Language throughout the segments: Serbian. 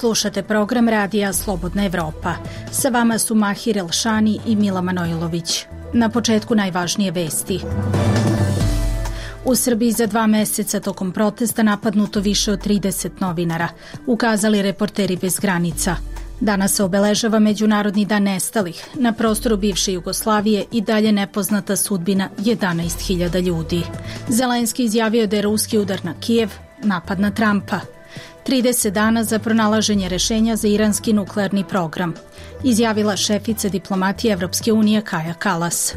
Slušate program radija Slobodna Evropa. Sa vama su Mahir Elšani i Mila Manojlović. Na početku najvažnije vesti. U Srbiji za 2 meseca tokom protesta napadnuto više od 30 novinara, ukazali Reporteri bez granica. Danas se obeležava Međunarodni dan nestalih. Na prostoru bivše Jugoslavije i dalje nepoznata sudbina 11.000 ljudi. Zelenski izjavio da je ruski udar na Kijev napad na Trumpa. 30 dana za pronalaženje rešenja za iranski nuklearni program, izjavila šefica diplomatije Evropske unije Kaja Kalas.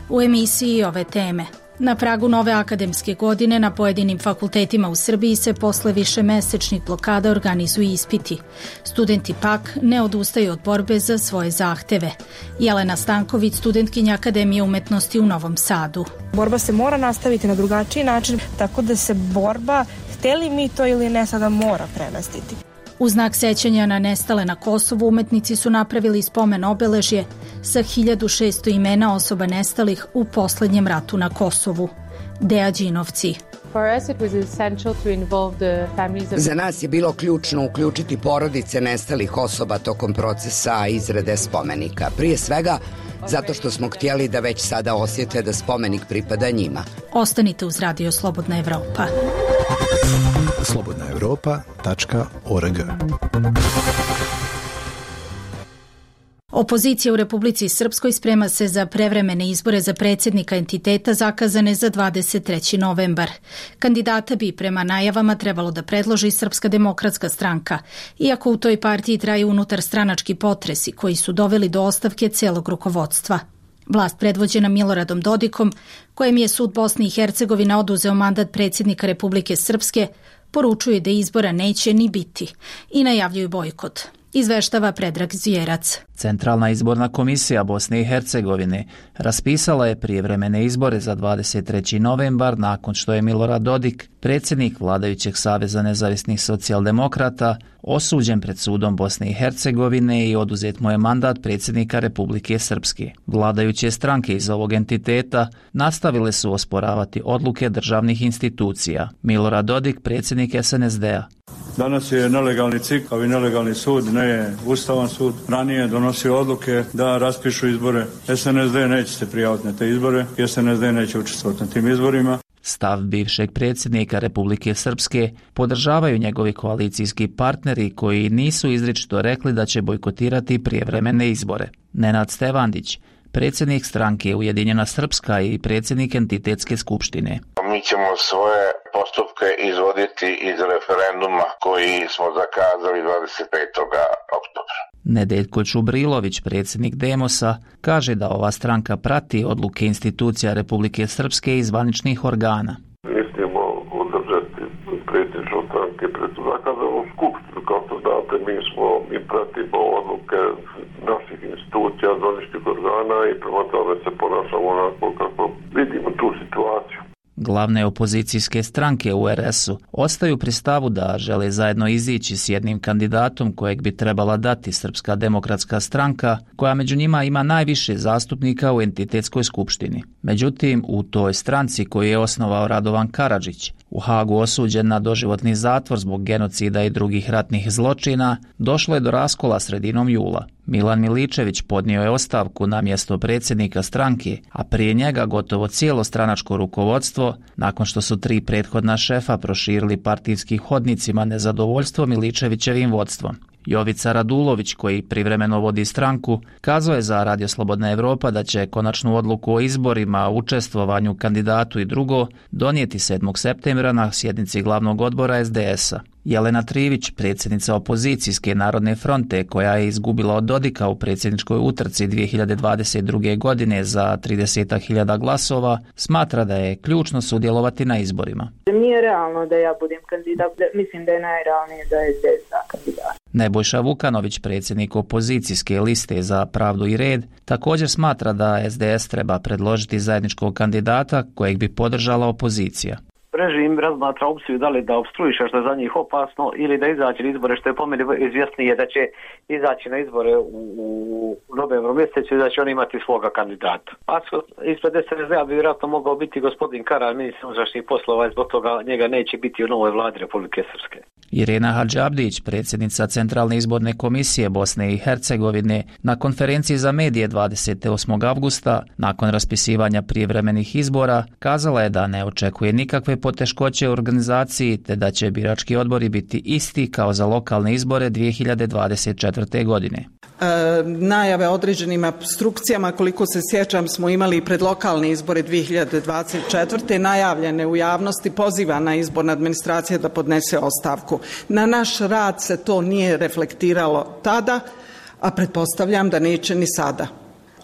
U emisiji ove teme. Na pragu nove akademske godine na pojedinim fakultetima u Srbiji se posle višemesečnih blokada organizuju ispiti. Studenti pak ne odustaju od borbe za svoje zahteve. Jelena Stanković, studentkinja Akademije umetnosti u Novom Sadu. Borba se mora nastaviti na drugačiji način, tako da se borba, hteli mi to ili ne, sada mora premestiti. U znak sećanja na nestale na Kosovu umetnici su napravili spomen obeležje sa 1600 imena osoba nestalih u poslednjem ratu na Kosovu. Deja Đinovci. Za nas je bilo ključno uključiti porodice nestalih osoba tokom procesa izrade spomenika. Prije svega zato što smo htjeli da već sada osjete da spomenik pripada njima. Ostanite uz Radio Slobodna Evropa. slobodnaevropa.org. Opozicija u Republici Srpskoj sprema se za prevremene izbore za predsjednika entiteta zakazane za 23. novembar. Kandidata bi prema najavama trebalo da predloži Srpska demokratska stranka, iako u toj partiji traju unutarstranački potresi koji su doveli do ostavke celog rukovodstva. Vlast predvođena Miloradom Dodikom, kojem je sud Bosne i Hercegovine oduzeo mandat predsjednika Republike Srpske, poručuje da izbora neće ni biti i najavljuju bojkot. Izveštava Predrag Zvjerac. Centralna izborna komisija Bosne i Hercegovine raspisala je prijevremene izbore za 23. novembar nakon što je Milorad Dodik, predsjednik vladajućeg Saveza nezavisnih socijaldemokrata, osuđen pred sudom Bosne i Hercegovine i oduzet mu je mandat predsjednika Republike Srpske. Vladajuće stranke iz ovog entiteta nastavile su osporavati odluke državnih institucija. Milorad Dodik, predsjednik SNSD-a. Danas je nelegalni CIK, kao i nelegalni sud, ne je Ustavan sud. Ranije donosio odluke da raspišu izbore. SNSD neće se prijaviti na te izbore, SNSD neće učestvovati na tim izborima. Stav bivšeg predsjednika Republike Srpske podržavaju njegovi koalicijski partneri koji nisu izričito rekli da će bojkotirati prijevremene izbore. Nenad Stevandić, predsjednik stranke Ujedinjena Srpska i predsjednik entitetske skupštine. Mi ćemo svoje postupke izvoditi iz referenduma koji smo zakazali 25. oktobra. Nedeljko Čubrilović, predsjednik Demosa, kaže da ova stranka prati odluke institucija Republike Srpske i zvaničnih organa. Mislimo održati predsjedništvo stranke pred zakazanom skupštinu. Kao što znate, mi pratimo odluke naših institucija, zvaničnih organa i prema tome se ponašamo onako kako vidimo tu situaciju. Glavne opozicijske stranke u RS-u ostaju pri stavu da žele zajedno izići s jednim kandidatom kojeg bi trebala dati Srpska demokratska stranka, koja među njima ima najviše zastupnika u entitetskoj skupštini. Međutim, u toj stranci koju je osnovao Radovan Karadžić, u Hagu osuđen na doživotni zatvor zbog genocida i drugih ratnih zločina, došlo je do raskola sredinom jula. Milan Miličević podnio je ostavku na mjesto predsjednika stranke, a prije njega gotovo cijelo stranačko rukovodstvo, nakon što su 3 prethodna šefa proširili partijskim hodnicima nezadovoljstvo Miličevićevim vodstvom. Jovica Radulović, koji privremeno vodi stranku, kazao je za Radio Slobodna Evropa da će konačnu odluku o izborima, učestvovanju kandidatu i drugo donijeti 7. septembra na sjednici glavnog odbora SDS-a. Jelena Trivić, predsjednica opozicijske Narodne fronte, koja je izgubila od Dodika u predsjedničkoj utrci 2022. godine za 30.000 glasova, smatra da je ključno sudjelovati na izborima. Nije realno da ja budem kandidat, mislim da je najrealnije da je SDS kandidat. Nebojša Vukanović, predsjednik opozicijske liste za pravdu i red, također smatra da SDS treba predložiti zajedničkog kandidata kojeg bi podržala opozicija. Režim razmatra opciju da li da opstruiše što je za njih opasno ili da izaći na izbore, što je po meni izvjesnije da će izaći na izbore u novembru mjesecu i da će oni imati svoga kandidata. A ispred SNSD-a bi vjerojatno mogao biti gospodin Karar, ministar unutrašnjih poslova, i zbog toga njega neće biti u novoj vladi Republike Srpske. Irena Hadžabdić, predsjednica Centralne izborne komisije Bosne i Hercegovine, na konferenciji za medije 28. avgusta, nakon raspisivanja prijevremenih izbora, kazala je da ne očekuje nikakve poteškoće u organizaciji te da će birački odbori biti isti kao za lokalne izbore 2024. godine. Najave određenim obstrukcijama, koliko se sjećam, smo imali pred lokalne izbore 2024. najavljene u javnosti, pozivana izborna administracija da podnese ostavku. Na naš rad se to nije reflektiralo tada, a pretpostavljam da neće ni sada.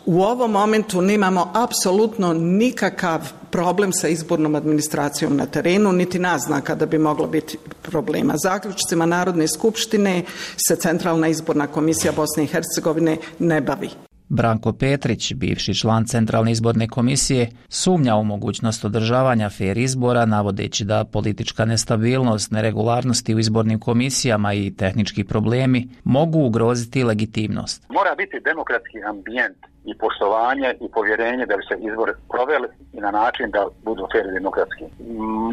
U ovom momentu nemamo apsolutno nikakav problem sa izbornom administracijom na terenu, niti naznaka da bi moglo biti problema. Zaključcima Narodne skupštine se Centralna izborna komisija Bosne i Hercegovine ne bavi. Branko Petrić, bivši član Centralne izborne komisije, sumnja u mogućnost održavanja fer izbora, navodeći da politička nestabilnost, neregularnosti u izbornim komisijama i tehnički problemi mogu ugroziti legitimnost. Mora biti demokratski ambijent i poštovanje i povjerenje da bi se izbor proveli i na način da budu fer i demokratski.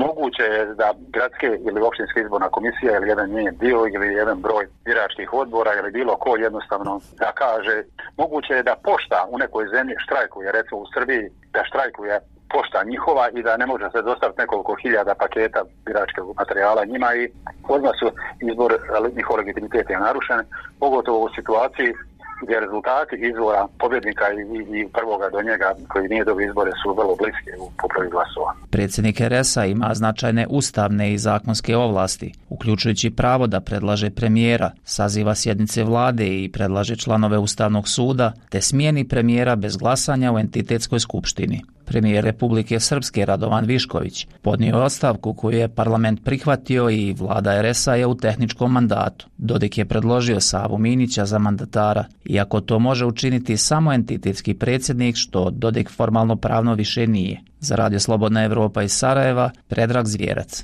Moguće je da gradske ili općinska izborna komisija ili jedan njen dio ili jedan broj biračkih odbora ili bilo ko jednostavno da kaže, moguće je da pošta u nekoj zemlji štrajkuje, recimo u Srbiji da štrajkuje pošta njihova i da ne može se dostaviti nekoliko hiljada paketa biračkog materijala njima i odmah su izbor, njihov legitimitet je narušen, pogotovo u situaciji gdje rezultati izbora pobjednika i prvoga do njega koji nije dobio izbore su vrlo bliske u popravi glasova. Predsjednik RS-a ima značajne ustavne i zakonske ovlasti, uključujući pravo da predlaže premijera, saziva sjednice vlade i predlaže članove Ustavnog suda, te smijeni premijera bez glasanja u entitetskoj skupštini. Premijer Republike Srpske Radovan Višković podnio je ostavku koju je parlament prihvatio i vlada RS-a je u tehničkom mandatu. Dodik je predložio Savu Minića za mandatara, iako to može učiniti samo entitetski predsjednik, što Dodik formalno pravno više nije. Za Radio Slobodna Evropa iz Sarajeva, Predrag Zvjerac.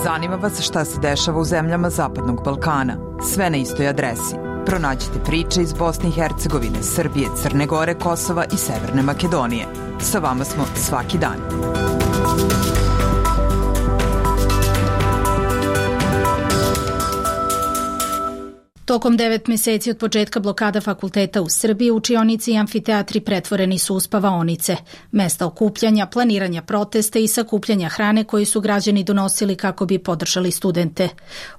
Zanima vas šta se dešava u zemljama Zapadnog Balkana. Sve na istoj adresi. Pronađite priče iz Bosne i Hercegovine, Srbije, Crne Gore, Kosova i Severne Makedonije. Sa vama smo svaki dan. Tokom 9 mjeseci od početka blokada fakulteta u Srbiji, učionici i amfiteatri pretvoreni su u spavaonice, mesta okupljanja, planiranja protesta i sakupljanja hrane koji su građani donosili kako bi podržali studente.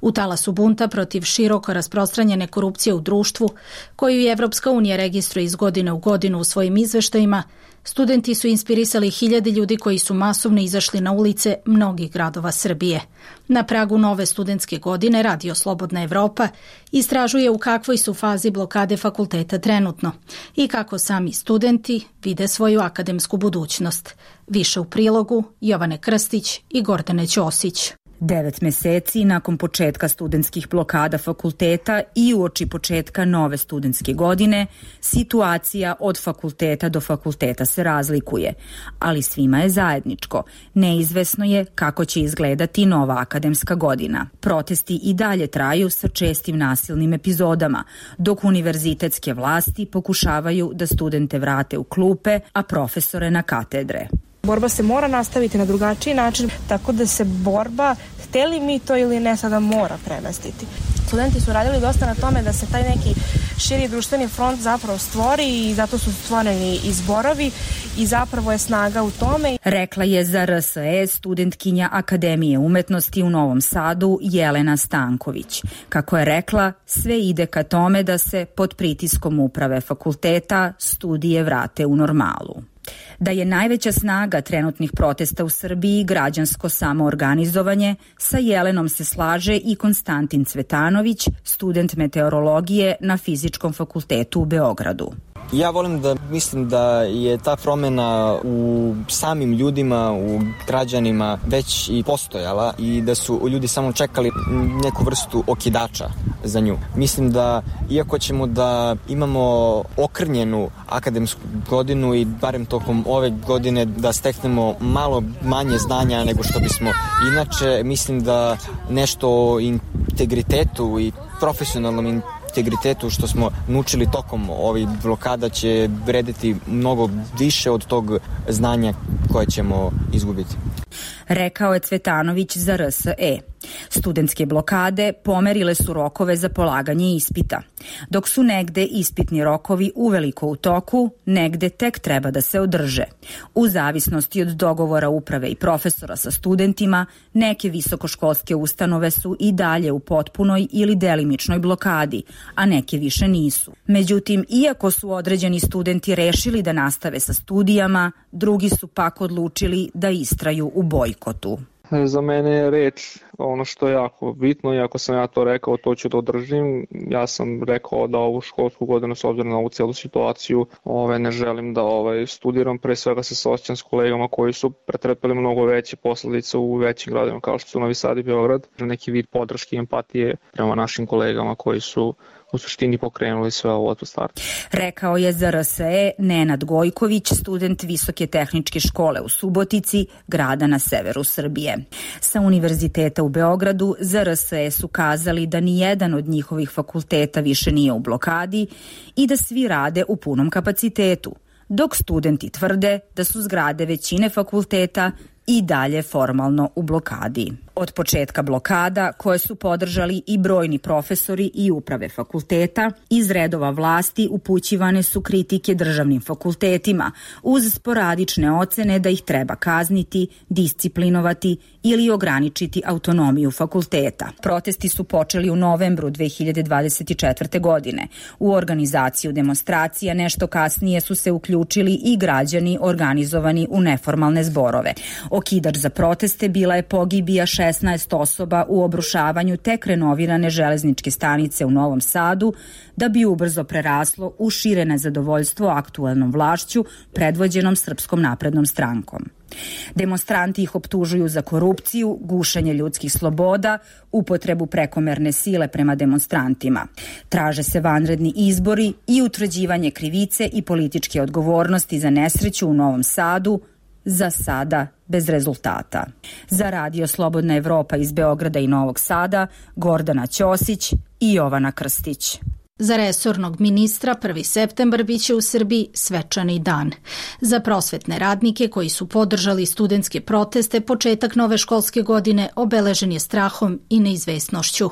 U talasu bunta protiv široko rasprostranjene korupcije u društvu, koju i Evropska unija registruje iz godine u godinu u svojim izveštajima, studenti su inspirisali hiljade ljudi koji su masovno izašli na ulice mnogih gradova Srbije. Na pragu nove studentske godine Radio Slobodna Evropa istražuje u kakvoj su fazi blokade fakulteta trenutno i kako sami studenti vide svoju akademsku budućnost. Više u prilogu Jovane Krstić i Gordane Ćosić. 9 mjeseci nakon početka studentskih blokada fakulteta i uoči početka nove studentske godine, situacija od fakulteta do fakulteta se razlikuje, ali svima je zajedničko. Neizvesno je kako će izgledati nova akademska godina. Protesti i dalje traju sa čestim nasilnim epizodama, dok univerzitetske vlasti pokušavaju da studente vrate u klupe, a profesore na katedre. Borba se mora nastaviti na drugačiji način, tako da se borba, hteli mi to ili ne, sada mora premestiti. Studenti su radili dosta na tome da se taj neki širi društveni front zapravo stvori i zato su stvoreni i zborovi i zapravo je snaga u tome. Rekla je za RSE studentkinja Akademije umetnosti u Novom Sadu Jelena Stanković. Kako je rekla, sve ide ka tome da se pod pritiskom uprave fakulteta studije vrate u normalu. Da je najveća snaga trenutnih protesta u Srbiji građansko samoorganizovanje, sa Jelenom se slaže i Konstantin Cvetanović, student meteorologije na Fizičkom fakultetu u Beogradu. Ja volim da mislim da je ta promjena u samim ljudima, u građanima već i postojala i da su ljudi samo čekali neku vrstu okidača za nju. Mislim da iako ćemo da imamo okrnjenu akademsku godinu i barem tokom ove godine da steknemo malo manje znanja nego što bismo inače, mislim da nešto o integritetu i profesionalnom integritetu što smo naučili tokom ovih blokada će vrediti mnogo više od tog znanja koje ćemo izgubiti. rekao je Cvetanović za RSE. Studentske blokade pomerile su rokove za polaganje ispita. Dok su negde ispitni rokovi uveliko u toku, negde tek treba da se održe. U zavisnosti od dogovora uprave i profesora sa studentima, neke visokoškolske ustanove su i dalje u potpunoj ili delimičnoj blokadi, a neke više nisu. Međutim, iako su određeni studenti rešili da nastave sa studijama, drugi su pak odlučili da istraju u bojkotu. Za mene je reč ono što je jako bitno i ako sam ja to rekao, to ću da održim. Ja sam rekao da ovu školsku godinu, s obzirom na ovu celu situaciju, ne želim da studiram. Pre svega se saosećam s kolegama koji su pretrpeli mnogo veće posledice u većim gradovima kao što su Novi Sad i Beograd. Neki vid podrške i empatije prema našim kolegama koji su u suštini pokrenuli sve ovo od starta. Rekao je za RSE Nenad Gojković, student Visoke tehničke škole u Subotici, grada na severu Srbije. Sa Univerziteta u Beogradu za RSE su kazali da ni jedan od njihovih fakulteta više nije u blokadi i da svi rade u punom kapacitetu, dok studenti tvrde da su zgrade većine fakulteta i dalje formalno u blokadi. Od početka blokada, koje su podržali i brojni profesori i uprave fakulteta, iz redova vlasti upućivane su kritike državnim fakultetima, uz sporadične ocene da ih treba kazniti, disciplinovati ili ograničiti autonomiju fakulteta. Protesti su počeli u novembru 2024. godine. U organizaciju demonstracija nešto kasnije su se uključili i građani organizovani u neformalne zborove. Okidač za proteste bila je pogibija 16 osoba u obrušavanju tek renovirane železničke stanice u Novom Sadu, da bi ubrzo preraslo u šire nezadovoljstvo aktuelnom vlašću predvođenom Srpskom naprednom strankom. Demonstranti ih optužuju za korupciju, gušenje ljudskih sloboda, upotrebu prekomerne sile prema demonstrantima. Traže se vanredni izbori i utvrđivanje krivice i političke odgovornosti za nesreću u Novom Sadu, za sada bez rezultata. Za Radio Slobodna Evropa iz Beograda i Novog Sada, Gordana Ćosić i Jovana Krstić. Za resornog ministra 1. septembar biće u Srbiji svečani dan. Za prosvetne radnike koji su podržali studentske proteste, početak nove školske godine obeležen je strahom i neizvesnošću.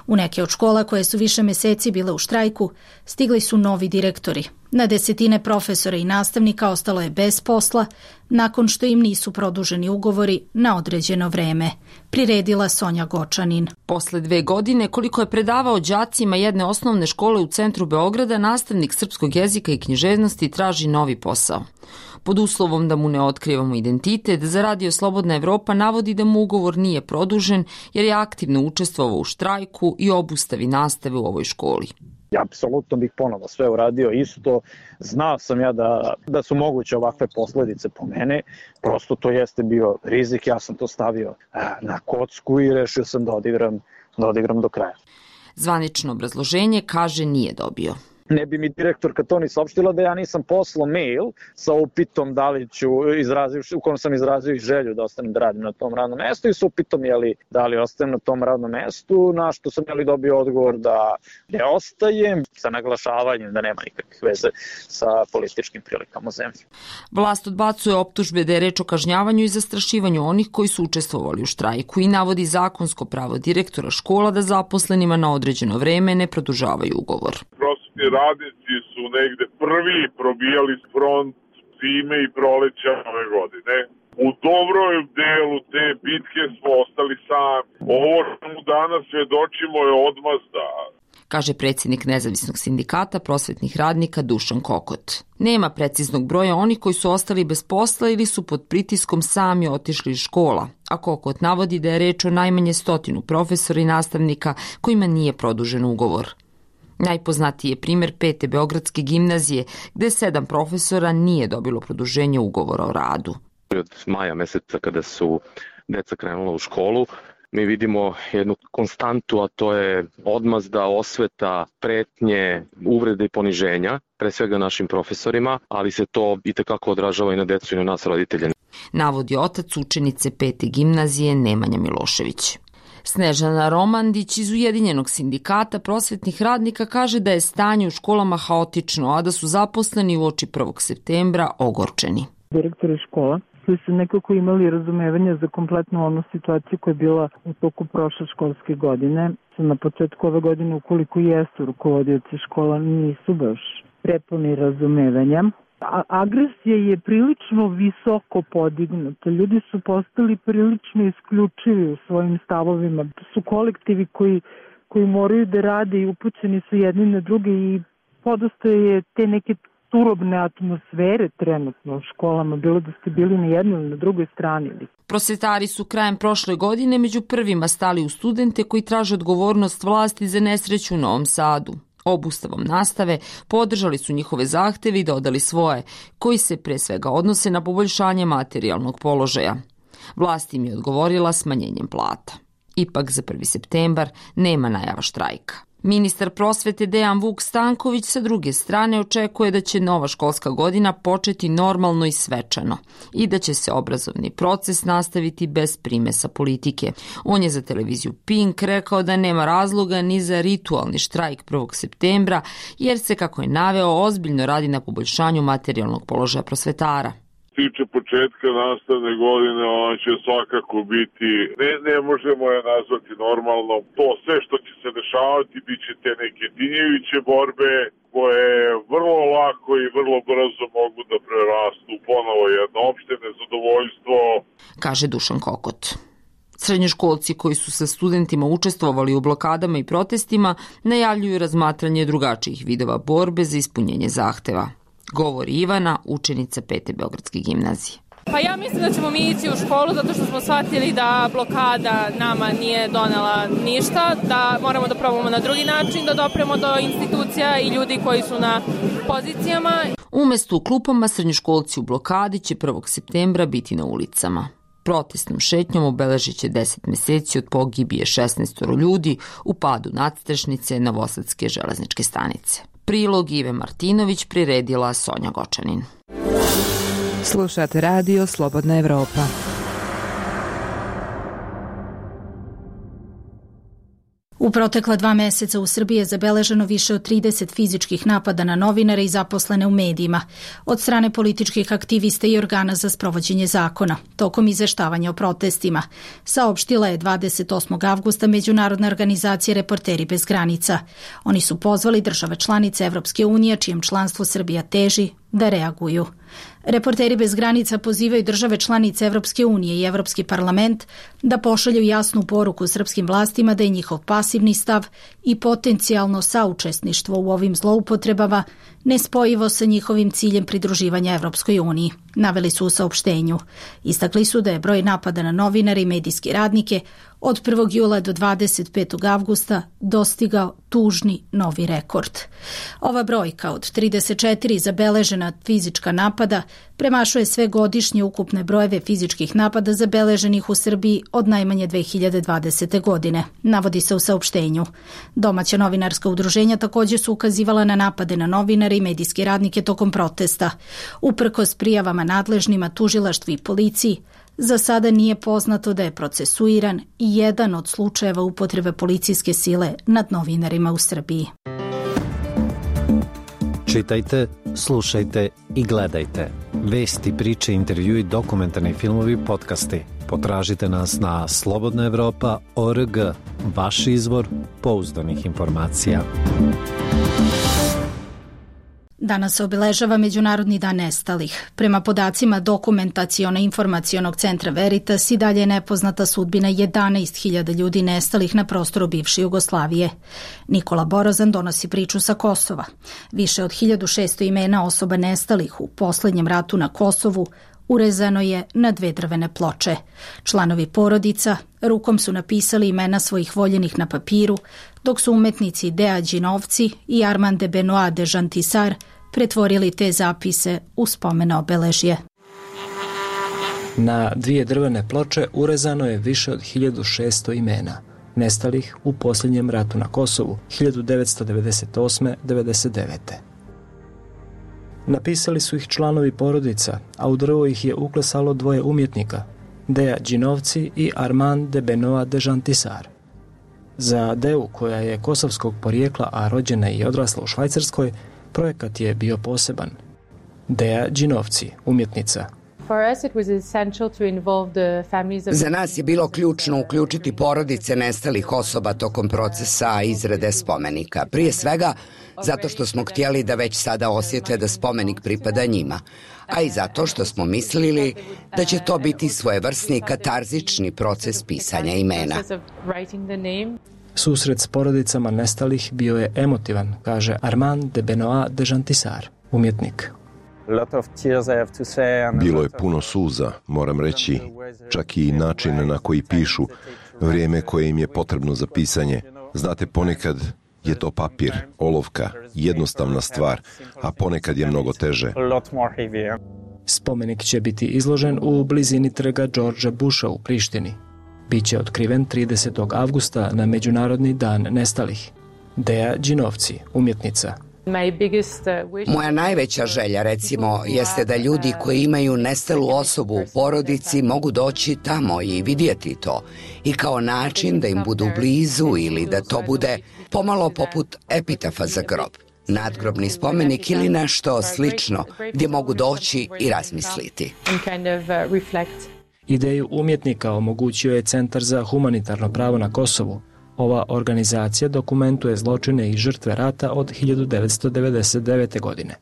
U neke od škola koje su više meseci bile u štrajku, stigli su novi direktori. Na desetine profesora i nastavnika ostalo je bez posla nakon što im nisu produženi ugovori na određeno vreme, priredila Sonja Gočanin. Posle 2 godine, koliko je predavao đacima jedne osnovne škole u centru Beograda, nastavnik srpskog jezika i književnosti traži novi posao. Pod uslovom da mu ne otkrivamo identitet, za Radio Slobodna Evropa navodi da mu ugovor nije produžen jer je aktivno učestvovao u štrajku i obustavi nastave u ovoj školi. Ja apsolutno bih ponovo sve uradio isto. Znao sam ja da su moguće ovakve posledice po mene. Prosto to jeste bio rizik. Ja sam to stavio na kocku i rešio sam da odigram do kraja. Zvanično obrazloženje, kaže, nije dobio. Ne bi mi direktorka to ni saopštila da ja nisam poslao mail sa upitom da li ću u kojem sam izrazio želju da ostanem da radim na tom radnom mestu i sa upitom da li ostajem na tom radnom mestu, na što sam dobio odgovor da ne ostajem, sa naglašavanjem da nema nikakvih veze sa političkim prilikama u zemlji. Vlast odbacuje optužbe da je reč o kažnjavanju i zastrašivanju onih koji su učestvovali u štrajku i navodi zakonsko pravo direktora škola da zaposlenima na određeno vreme ne produžavaju ugovor. Radnici su negde prvi probijali front zime i proleća ove godine. U dobrom delu te bitke smo ostali sami. Ovo što mu danas svedočimo je odmazda, kaže predsjednik Nezavisnog sindikata prosvetnih radnika Dušan Kokot. Nema preciznog broja onih koji su ostali bez posla ili su pod pritiskom sami otišli iz škola, a Kokot navodi da je reč o najmanje 100 profesora i nastavnika kojima nije produžen ugovor. Najpoznatiji je primjer 5. Beogradske gimnazije, gde 7 profesora nije dobilo produženje ugovora o radu. Od maja meseca kada su deca krenula u školu, mi vidimo jednu konstantu, a to je odmazda, osveta, pretnje, uvrede i poniženja, pre svega našim profesorima, ali se to itekako odražava i na decu i na nas roditelje. Navodi otac učenice 5. gimnazije Nemanja Milošević. Snežana Romandić iz Ujedinjenog sindikata prosvetnih radnika kaže da je stanje u školama haotično, a da su zaposleni uoči 1. septembra ogorčeni. Direktori škola koji su nekako imali razumevanja za kompletnu onu situaciju koja je bila u toku prošle školske godine. Na početku ove godine, ukoliko jesu rukovodioci škola, nisu baš prepuni razumevanja. Agresija je prilično visoko podignuta. Ljudi su postali prilično isključivi u svojim stavovima. Su kolektivi koji moraju da rade i upućeni su jedni na druge i podosta je te neke turobne atmosfere trenutno u školama, bilo da ste bili na jednoj ili na drugoj strani. Prosvetari su krajem prošle godine među prvima stali u studente koji traže odgovornost vlasti za nesreću u Novom Sadu. Obustavom nastave podržali su njihove zahteve i dodali svoje, koji se pre svega odnose na poboljšanje materijalnog položaja. Vlast im je odgovorila smanjenjem plata. Ipak za 1. septembar nema najava štrajka. Ministar prosvete Dejan Vuk Stanković sa druge strane očekuje da će nova školska godina početi normalno i svečano i da će se obrazovni proces nastaviti bez primesa politike. On je za televiziju Pink rekao da nema razloga ni za ritualni štrajk 1. septembra jer se, kako je naveo, ozbiljno radi na poboljšanju materijalnog položaja prosvetara. Tiče početka nastavne godine, ona će svakako biti, ne možemo je nazvati normalno. To sve što će se dešavati bit će te neke dinjeviće borbe koje vrlo lako i vrlo brzo mogu da prerastu ponovo jedno opšte nezadovoljstvo. Kaže Dušan Kokot. Srednjoškolci koji su sa studentima učestvovali u blokadama i protestima najavljuju razmatranje drugačijih vidova borbe za ispunjenje zahteva. Govori Ivana, učenica 5. Beogradske gimnazije. Pa ja mislim da ćemo mi ići u školu zato što smo shvatili da blokada nama nije donela ništa, da moramo da probamo na drugi način da dopremo do institucija i ljudi koji su na pozicijama. Umesto u klupama, srednjoškolci u blokadi će 1. septembra biti na ulicama. Protestnom šetnjom obeležit će 10 meseci od pogibije 16 ljudi u padu nadstrešnice Novosadske železničke stanice. Prilog Ive Martinović priredila Sonja Gočanin. Slušate radio Slobodna Evropa. U protekla 2 meseca u Srbiji je zabeleženo više od 30 fizičkih napada na novinare i zaposlene u medijima od strane političkih aktivista i organa za sprovođenje zakona, tokom izveštavanja o protestima, saopštila je 28. avgusta Međunarodna organizacija Reporteri bez granica. Oni su pozvali države članice Evropske unije, čijem članstvo Srbija teži, da reaguju. Reporteri bez granica pozivaju države članice Evropske unije i Evropski parlament da pošalju jasnu poruku srpskim vlastima da je njihov pasivni stav i potencijalno saučesništvo u ovim zloupotrebama nespojivo sa njihovim ciljem pridruživanja Evropskoj uniji, naveli su u saopštenju. Istakli su da je broj napada na novinare i medijske radnike od 1. jula do 25. avgusta dostigao tužni novi rekord. Ova brojka od 34 zabeležena fizička napada premašuje sve godišnje ukupne brojeve fizičkih napada zabeleženih u Srbiji od najmanje 2020. godine, navodi se u saopštenju. Domaća novinarska udruženja također su ukazivala na napade na novinare i medijske radnike tokom protesta. Uprkos prijavama nadležnima, tužilaštvu i policiji, za sada nije poznato da je procesuiran i jedan od slučajeva upotrebe policijske sile nad novinarima u Srbiji. Čitajte, slušajte i gledajte. Vesti, priče, intervjui, dokumentarni filmovi, podcasti. Potražite nas na slobodnaevropa.org, vaš izvor pouzdanih informacija. Danas se obeležava Međunarodni dan nestalih. Prema podacima Dokumentaciono-informacionog centra Veritas i dalje je nepoznata sudbina 11.000 ljudi nestalih na prostoru bivše Jugoslavije. Nikola Borozan donosi priču sa Kosova. Više od 1600 imena osoba nestalih u poslednjem ratu na Kosovu urezano je na 2 drvene ploče. Članovi porodica rukom su napisali imena svojih voljenih na papiru, dok su umetnici Dea Đinovci i Armand de Benoit de Jantisar pretvorili te zapise u spomen obeležje. Na 2 drvene ploče urezano je više od 1600 imena nestalih u posljednjem ratu na Kosovu 1998-99. Napisali su ih članovi porodica, a u drvo ih je uklesalo 2 umjetnika, Dea Đinovci i Armand de Benoit de Jantisar. Za Deu, koja je kosovskog porijekla, a rođena i odrasla u Švajcarskoj, projekat je bio poseban. Dea Đinovci, umjetnica, Za nas je bilo ključno uključiti porodice nestalih osoba tokom procesa izrade spomenika. Prije svega zato što smo htjeli da već sada osjete da spomenik pripada njima, a i zato što smo mislili da će to biti svojevrsni katarzični proces pisanja imena. Susret s porodicama nestalih bio je emotivan, kaže Armand de Benoit de Jantisar, umjetnik. Bilo je puno suza, moram reći, čak i način na koji pišu, vrijeme koje im je potrebno za pisanje. Znate, ponekad je to papir, olovka, jednostavna stvar, a ponekad je mnogo teže. Spomenik će biti izložen u blizini trga Georgea Busha u Prištini. Biće otkriven 30. avgusta na Međunarodni dan nestalih. Deja Đinovci, umjetnica. Moja najveća želja, recimo, jeste da ljudi koji imaju nestalu osobu u porodici mogu doći tamo i vidjeti to. I kao način da im budu blizu ili da to bude pomalo poput epitafa za grob. Nadgrobni spomenik ili nešto slično gdje mogu doći i razmisliti. Ideju umjetnika omogućio je Centar za humanitarno pravo na Kosovu. Ova organizacija dokumentuje zločine i žrtve rata od 1999. godine.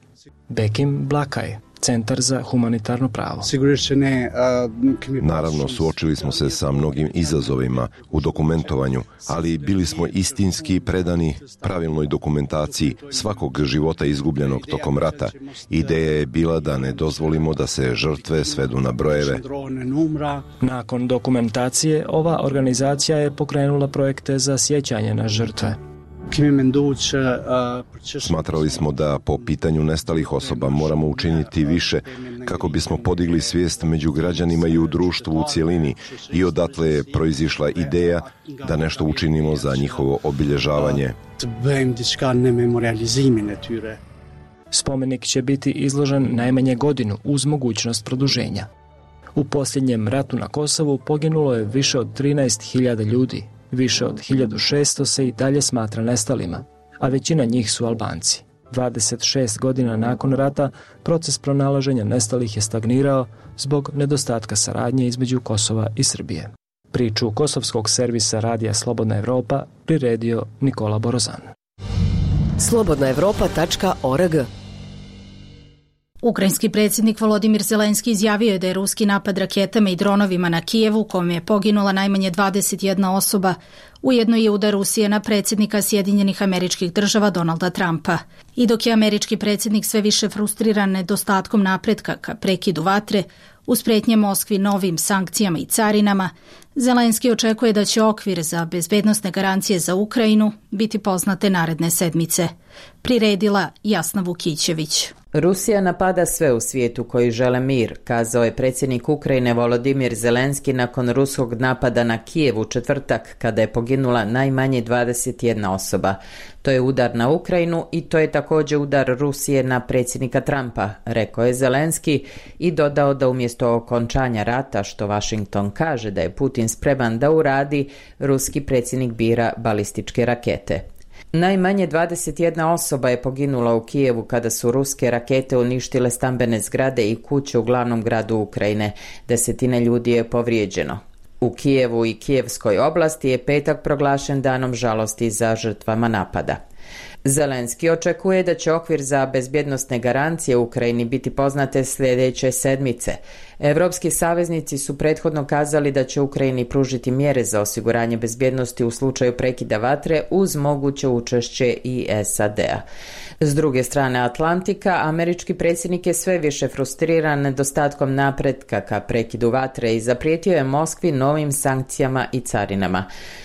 Bekim Blakaj, Centar za humanitarno pravo. Naravno, suočili smo se sa mnogim izazovima u dokumentovanju, ali bili smo istinski predani pravilnoj dokumentaciji svakog života izgubljenog tokom rata. Ideja je bila da ne dozvolimo da se žrtve svedu na brojeve. Nakon dokumentacije, ova organizacija je pokrenula projekte za sjećanje na žrtve. Smatrali smo da po pitanju nestalih osoba moramo učiniti više kako bismo podigli svijest među građanima i u društvu u cjelini i odatle je proizišla ideja da nešto učinimo za njihovo obilježavanje. Spomenik će biti izložen najmanje godinu uz mogućnost produženja. U posljednjem ratu na Kosovu poginulo je više od 13.000 ljudi. Više od 1600 se i dalje smatra nestalima, a većina njih su Albanci. 26 godina nakon rata proces pronalaženja nestalih je stagnirao zbog nedostatka saradnje između Kosova i Srbije. Priču kosovskog servisa radija Slobodna Evropa priredio Nikola Borozan. slobodnaevropa.org. Ukrajinski predsjednik Volodimir Zelenski izjavio je da je ruski napad raketama i dronovima na Kijevu, kome je poginula najmanje 21 osoba, ujedno je udar Rusije na predsjednika Sjedinjenih Američkih Država Donalda Trumpa. I dok je američki predsjednik sve više frustriran nedostatkom napretka ka prekidu vatre, uz prijetnje Moskvi novim sankcijama i carinama, Zelenski očekuje da će okvir za bezbednosne garancije za Ukrajinu biti poznate naredne sedmice. Priredila Jasna Vukićević. Rusija napada sve u svijetu koji žele mir, kazao je predsjednik Ukrajine Volodimir Zelenski nakon ruskog napada na Kijev u četvrtak, kada je poginula najmanje 21 osoba. To je udar na Ukrajinu i to je također udar Rusije na predsjednika Trumpa, rekao je Zelenski i dodao da umjesto okončanja rata, što Washington kaže da je Putin spreman da uradi, ruski predsjednik bira balističke rakete. Najmanje 21 osoba je poginula u Kijevu kada su ruske rakete uništile stambene zgrade i kuće u glavnom gradu Ukrajine. Desetine ljudi je povrijeđeno. U Kijevu i Kijevskoj oblasti je petak proglašen danom žalosti za žrtvama napada. Zelenski očekuje da će okvir za bezbjednosne garancije u Ukrajini biti poznate sljedeće sedmice. Evropski saveznici su prethodno kazali da će Ukrajini pružiti mjere za osiguranje bezbjednosti u slučaju prekida vatre uz moguće učešće i SAD-a. S druge strane Atlantika, američki predsjednik je sve više frustriran nedostatkom napretka ka prekidu vatre i zaprijetio je Moskvi novim sankcijama i carinama.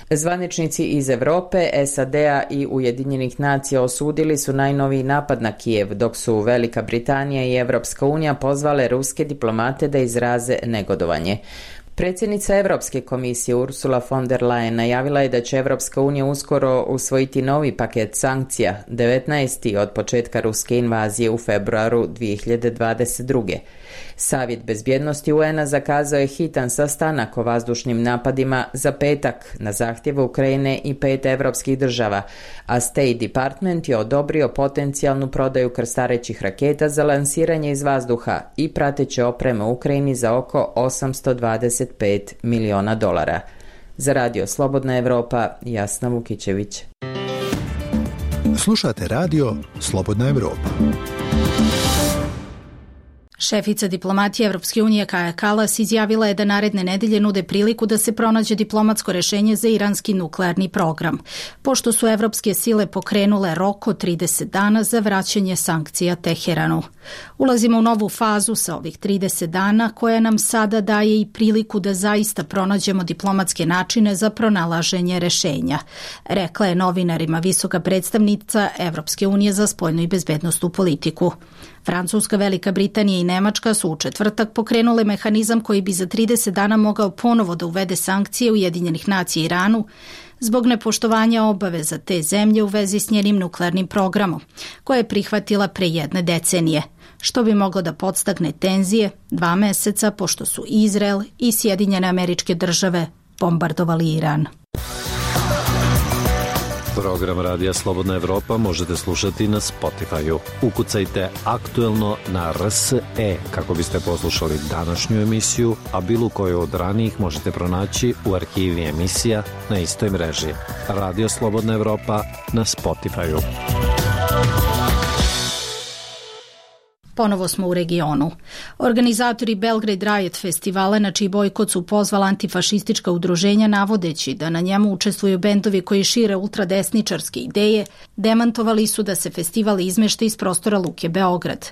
Zvaničnici iz Europe, SAD-a i Ujedinjenih nacija osudili su najnoviji napad na Kijev, dok su Velika Britanija i Evropska unija pozvale ruske diplomate da izraze negodovanje. Predsjednica Evropske komisije Ursula von der Leyen najavila je da će Evropska unija uskoro usvojiti novi paket sankcija, 19. od početka ruske invazije u februaru 2022. Savjet bezbjednosti UN-a zakazao je hitan sastanak o vazdušnim napadima za petak na zahtjev Ukrajine i 5 evropskih država, a State Department je odobrio potencijalnu prodaju krstarećih raketa za lansiranje iz vazduha i prateće opreme Ukrajini za oko $825 miliona. Za Radio Slobodna Evropa, Jasna Vukićević. Slušate Radio Slobodna Evropa. Šefica diplomatije Evropske unije Kaja Kallas izjavila je da naredne nedelje nude priliku da se pronađe diplomatsko rešenje za iranski nuklearni program, pošto su evropske sile pokrenule rok od 30 dana za vraćanje sankcija Teheranu. Ulazimo u novu fazu sa ovih 30 dana koja nam sada daje i priliku da zaista pronađemo diplomatske načine za pronalaženje rešenja, rekla je novinarima visoka predstavnica Evropske unije za spoljnu i bezbednosnu politiku. Francuska, Velika Britanija i Nemačka su u četvrtak pokrenule mehanizam koji bi za 30 dana mogao ponovo da uvede sankcije Ujedinjenih nacija Iranu zbog nepoštovanja obaveza te zemlje u vezi s njenim nuklearnim programom, koje je prihvatila pre 1 decenije, što bi moglo da podstakne tenzije 2 meseca pošto su Izrael i Sjedinjene Američke Države bombardovali Iran. Program Radija Slobodna Evropa možete slušati na Spotify-u. Ukucajte aktuelno na RSE kako biste poslušali današnju emisiju, a bilo koju od ranijih možete pronaći u arhivi emisija na istoj mreži. Radio Slobodna Evropa na Spotify-u. Ponovo smo u regionu. Organizatori Belgrade Riot festivala, na čiji bojkot su pozvala antifašistička udruženja navodeći da na njemu učestvuju bendovi koji šire ultradesničarske ideje, demantovali su da se festival izmešta iz prostora Luke Beograd.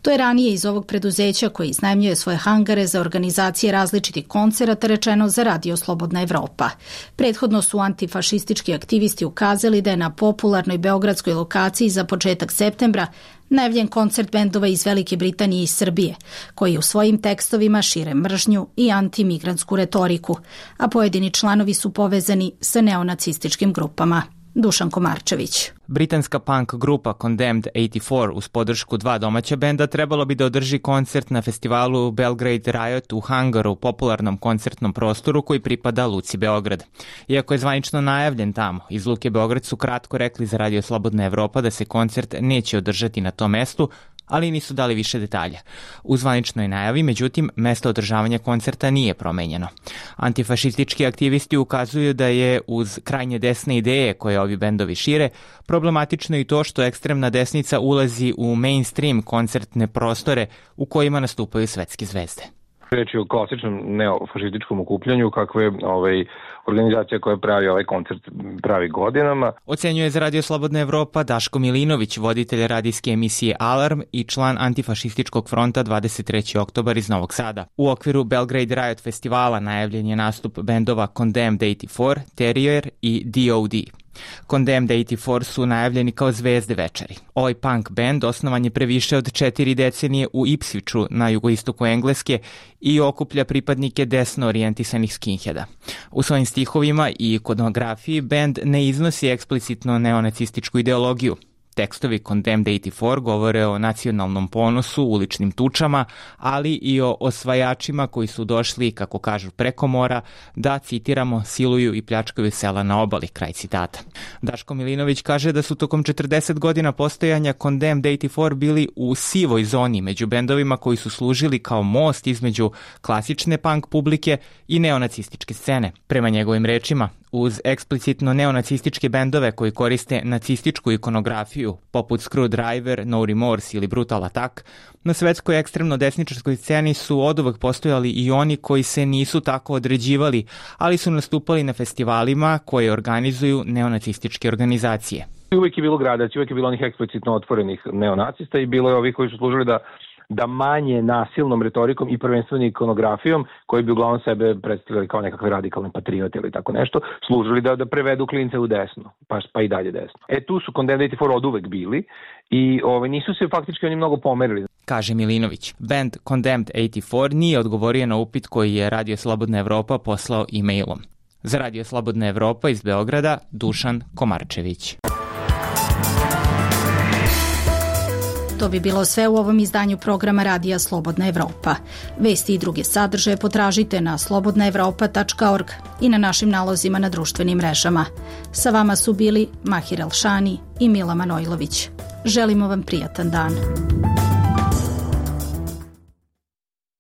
To je ranije iz ovog preduzeća koji iznajmljuje svoje hangare za organizacije različitih koncerata rečeno za Radio Slobodna Evropa. Prethodno su antifašistički aktivisti ukazali da je na popularnoj beogradskoj lokaciji za početak septembra najavljen koncert bendova iz Velike Britanije i Srbije, koji u svojim tekstovima šire mržnju i antimigrantsku retoriku, a pojedini članovi su povezani sa neonacističkim grupama. Dušan Komarčević. Britanska punk grupa Condemned 84 uz podršku 2 domaća benda trebalo bi da održi koncert na festivalu Belgrade Riot u hangaru, popularnom koncertnom prostoru koji pripada Luci Beograd. Iako je zvanično najavljen tamo, iz Luke Beograd su kratko rekli za Radio Slobodna Evropa da se koncert neće održati na tom mestu, ali nisu dali više detalja. U zvaničnoj najavi, međutim, mesto održavanja koncerta nije promenjeno. Antifašistički aktivisti ukazuju da je uz krajnje desne ideje koje ovi bendovi šire, problematično i to što ekstremna desnica ulazi u mainstream koncertne prostore u kojima nastupaju svetske zvezde. Reč je o klasičnom neofašističkom okupljanju kakve organizacija koja pravi ovaj koncert pravi godinama. Ocenjuje za Radio Slobodna Evropa Daško Milinović, voditelj radijske emisije Alarm i član antifašističkog fronta 23. oktobar iz Novog Sada. U okviru Belgrade Riot festivala najavljen je nastup bendova Condemned 84, Terrier i DOD. Condemned 84 su najavljeni kao zvezde večeri. Ovaj punk band osnovan je pre više od 4 decenije u Ipswichu na jugoistoku Engleske i okuplja pripadnike desno orijentisanih skinheada. U svojim stihovima i ikonografiji band ne iznosi eksplicitno neonacističku ideologiju. Tekstovi Condemned 84 govore o nacionalnom ponosu, uličnim tučama, ali i o osvajačima koji su došli, kako kažu, preko mora, da, citiramo, siluju i pljačkaju sela na obali, kraj citata. Daško Milinović kaže da su tokom 40 godina postojanja Condemned 84 bili u sivoj zoni među bendovima koji su služili kao most između klasične punk publike i neonacističke scene. Prema njegovim rečima, uz eksplicitno neonacističke bendove koji koriste nacističku ikonografiju, poput Screwdriver, No Remorse ili Brutal Attack, na svetskoj ekstremno desničarskoj sceni su oduvek postojali i oni koji se nisu tako određivali, ali su nastupali na festivalima koje organizuju neonacističke organizacije. Uvijek je bilo gradacija, uvijek je bilo onih eksplicitno otvorenih neonacista i bilo je ovih koji su služili da manje nasilnom retorikom i prvenstveno ikonografijom, koji bi uglavnom sebe predstavljali kao nekakve radikalne patriote ili tako nešto, služili da prevedu klince u desno, pa i dalje desno. Tu su Condemned 84 od uvek bili i nisu se faktički oni mnogo pomerili. kaže Milinović. Band Condemned 84 nije odgovorio na upit koji je Radio Slobodna Evropa poslao e-mailom. Za Radio Slobodna Evropa iz Beograda, Dušan Komarčević. To bi bilo sve u ovom izdanju programa Radija Slobodna Evropa. Vesti i druge sadržaje potražite na slobodnaevropa.org i na našim nalozima na društvenim mrežama. Sa vama su bili Mahir Elšani i Mila Manojlović. Želimo vam prijatan dan.